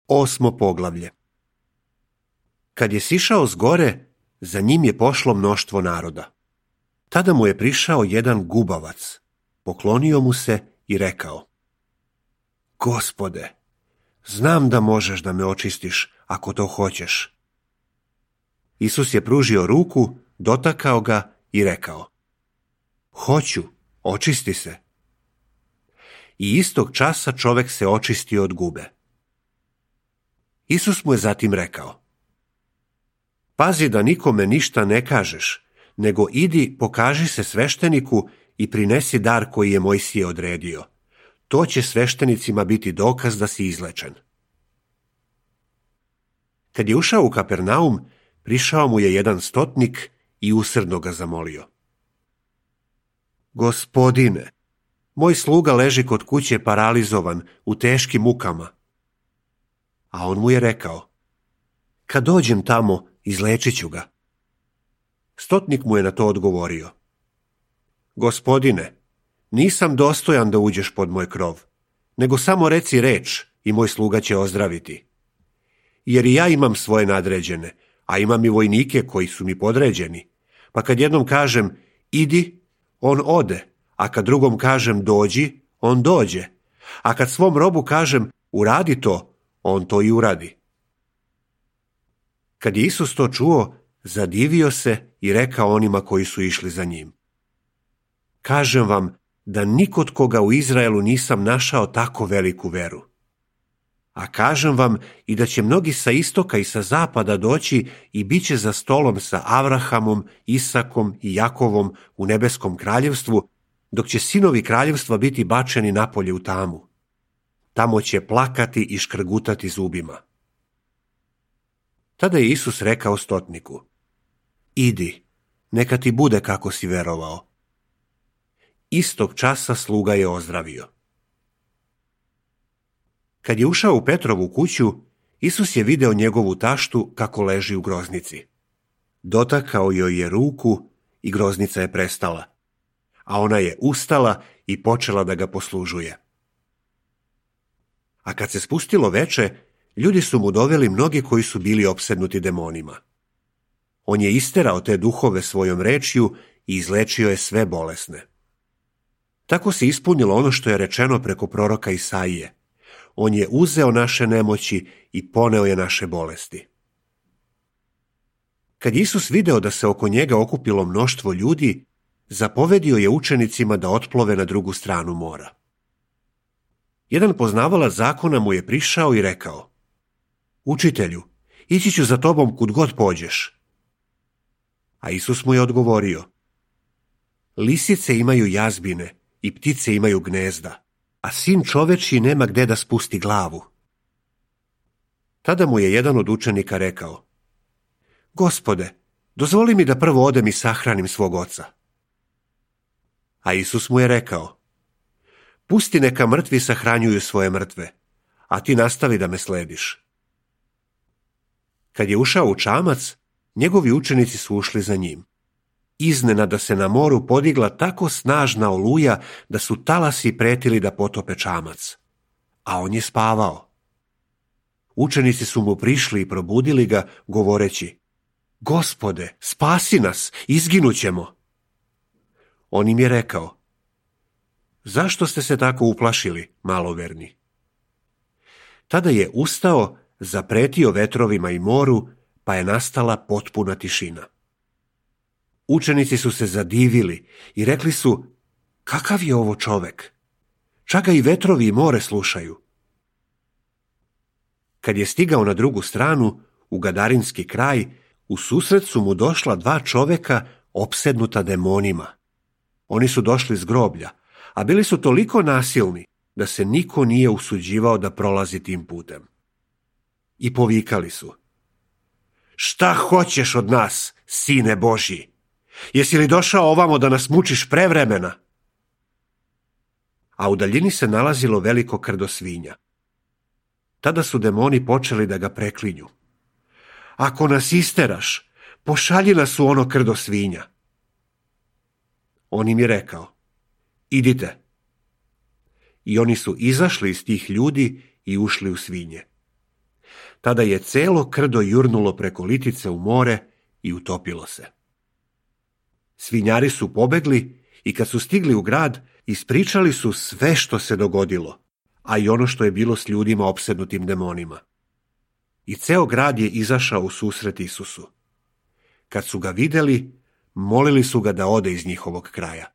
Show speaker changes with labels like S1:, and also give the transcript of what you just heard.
S1: Osmo poglavlje. Kad je sišao s gore, za njim je pošlo mnoštvo naroda. Tada mu je prišao jedan gubavac, poklonio mu se i rekao: Gospode, znam da možeš da me očistiš ako to hoćeš. Isus je pružio ruku, dotakao ga i rekao: Hoću, očisti se. I istog časa čovek se očistio od gube. Isus mu je zatim rekao: Pazi da nikome ništa ne kažeš, nego idi pokaži se svešteniku i prinesi dar koji je Mojsije odredio. To će sveštenicima biti dokaz da si izlečen. Kad je ušao u Kapernaum, prišao mu je jedan stotnik i usrdno ga zamolio: Gospodine, moj sluga leži kod kuće paralizovan, u teškim mukama. A on mu je rekao: Kad dođem tamo, izlečit ću ga. Stotnik mu je na to odgovorio: Gospodine, nisam dostojan da uđeš pod moj krov, nego samo reci reč i moj sluga će ozdraviti. Jer i ja imam svoje nadređene, a imam i vojnike koji su mi podređeni. Pa kad jednom kažem idi, on ode, a kad drugom kažem dođi, on dođe. A kad svom robu kažem uradi to, on to i uradi. Kad je Isus to čuo, zadivio se i rekao onima koji su išli za njim: Kažem vam da nikod koga u Izraelu nisam našao tako veliku veru. A kažem vam i da će mnogi sa istoka i sa zapada doći i bit će za stolom sa Avrahamom, Isakom i Jakovom u nebeskom kraljevstvu, dok će sinovi kraljevstva biti bačeni napolje u tamu. Tamo će plakati i škrgutati zubima. Tada je Isus rekao stotniku: Idi, neka ti bude kako si verovao. Istog časa sluga je ozdravio. Kad je ušao u Petrovu kuću, Isus je video njegovu taštu kako leži u groznici. Dotakao joj je ruku i groznica je prestala, a ona je ustala i počela da ga poslužuje. A kad se spustilo veče, ljudi su mu doveli mnogi koji su bili opsednuti demonima. On je isterao te duhove svojom rečju i izlečio je sve bolesne. Tako se ispunilo ono što je rečeno preko proroka Isaije: On je uzeo naše nemoći i poneo je naše bolesti. Kad je Isus video da se oko njega okupilo mnoštvo ljudi, zapovedio je učenicima da otplove na drugu stranu mora. Jedan poznavalac zakona mu je prišao i rekao: Učitelju, ići ću za tobom kud god pođeš. A Isus mu je odgovorio: Lisice imaju jazbine i ptice imaju gnezda, a sin čovečji nema gde da spusti glavu. Tada mu je jedan od učenika rekao: Gospode, dozvoli mi da prvo odem i sahranim svog oca. A Isus mu je rekao: Pusti neka mrtvi sahranjuju svoje mrtve, a ti nastavi da me slediš. Kad je ušao u čamac, njegovi učenici su ušli za njim. Iznenada se na moru podigla tako snažna oluja da su talasi pretili da potope čamac, a on je spavao. Učenici su mu prišli i probudili ga, govoreći: Gospode, spasi nas, izginućemo. On im je rekao: Zašto ste se tako uplašili, maloverni? Tada je ustao, zapretio vetrovima i moru, pa je nastala potpuna tišina. Učenici su se zadivili i rekli su: Kakav je ovo čovek? Čak ga i vetrovi i more slušaju. Kad je stigao na drugu stranu, u Gadarinski kraj, u susret su mu došla dva čoveka opsednuta demonima. Oni su došli s groblja, a bili su toliko nasilni da se niko nije usuđivao da prolazi tim putem. I povikali su: Šta hoćeš od nas, sine Božji? Jesi li došao ovamo da nas mučiš prevremena? A u daljini se nalazilo veliko krdo svinja. Tada su demoni počeli da ga preklinju: Ako nas isteraš, pošalji nas u ono krdo svinja. On im je rekao: Idite. I oni su izašli iz tih ljudi i ušli u svinje. Tada je celo krdo jurnulo preko litice u more i utopilo se. Svinjari su pobegli i kad su stigli u grad, ispričali su sve što se dogodilo, a i ono što je bilo s ljudima opsednutim demonima. I ceo grad je izašao u susret Isusu. Kad su ga videli, molili su ga da ode iz njihovog kraja.